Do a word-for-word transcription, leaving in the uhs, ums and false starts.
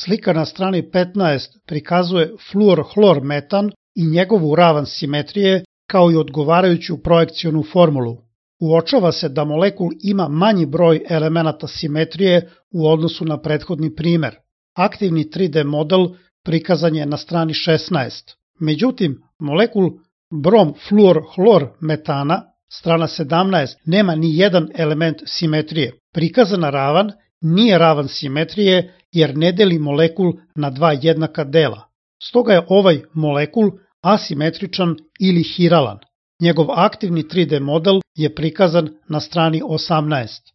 Slika na strani petnaest prikazuje fluor-hlor metan i njegovu ravan simetrije kao i odgovarajuću projekcionu formulu. Uočava se da molekul ima manji broj elemenata simetrije u odnosu na prethodni primer. Aktivni tri D model prikazan je na strani šesnaest. Međutim, molekul brom-fluor-hlor metana, strana sedamnaest, nema ni jedan element simetrije. Prikazana ravan nije ravan simetrije jer ne deli molekul na dva jednaka dela. Stoga je ovaj molekul asimetričan ili hiralan. Njegov aktivni tri D model je prikazan na strani osamnaest.